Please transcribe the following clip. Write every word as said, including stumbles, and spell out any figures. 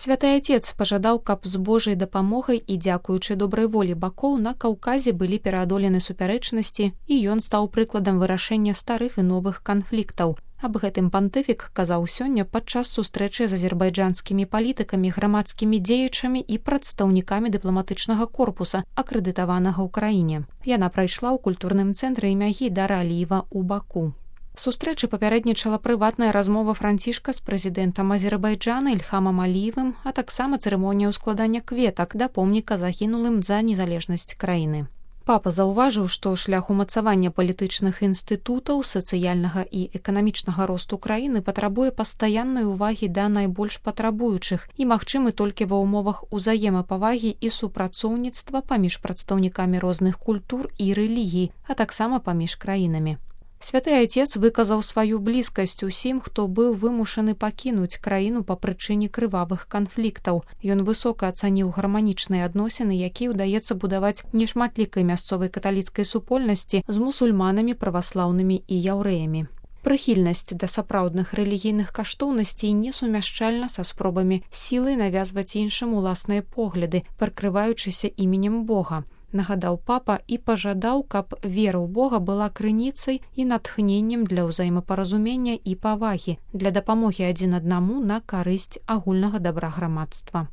Святы Отец пажадаў, каб з Божай дапамогай і дзякуючы добрай волі бакоў на Каўказе былі пераадолены супярэчнасці, і ён стаў прыкладам вырашэння старых і новых канфліктаў. Аб гэтым пантыфік казаў сёння падчас сустрэчы з азербайджанскімі палітыкамі, грамадскімі дзеячамі і прадстаўнікамі дыпламатычнага корпуса, акрэдытаванага ў краіне. Яна прайшла ў культурным цэнтры імя Гейдара Аліева ў Баку. Сустрэчы папярэднічала прыватная размова Францішка з прэзідэнтам Азербайджана Ільхамам Аліевым, а таксама цырымонія ўскладання кветак да помніка загінулым за незалежнасць краіны. Папа заўважыў, што шлях умацавання палітычных інстытутаў, сацыяльнага і эканамічнага росту краіны патрабуе пастаяннай увагі да найбольш патрабуючых і магчымы толькі ва ўмовах узаемапавагі і супрацоўніцтва паміж прадстаўнікамі розных культур і рэлігій, а таксама паміж краінамі. Святы Отец выказаў сваю блізкасць усім, хто быў вымушаны пакінуць краіну па прычыне крывавых канфліктаў. Ён высока ацаніў гарманічныя адносіны, якія ўдаецца будаваць нешматлікай мясцовай каталіцкай супольнасці з мусульманамі, праваслаўнымі і яўрэямі. Прыхільнасць да сапраўдных рэлігійных каштоўнасцей несумяшчальна са спробамі сілай навязваць іншым уласныя погляды, прыкрываючыся іменем Бога. Нагадаў папа і пажадаў, каб вера ў Бога была крыніцай і натхненнем для ўзаемапаразумення і павагі, для дапамогі адзін аднаму на карысць агульнага дабра грамадства.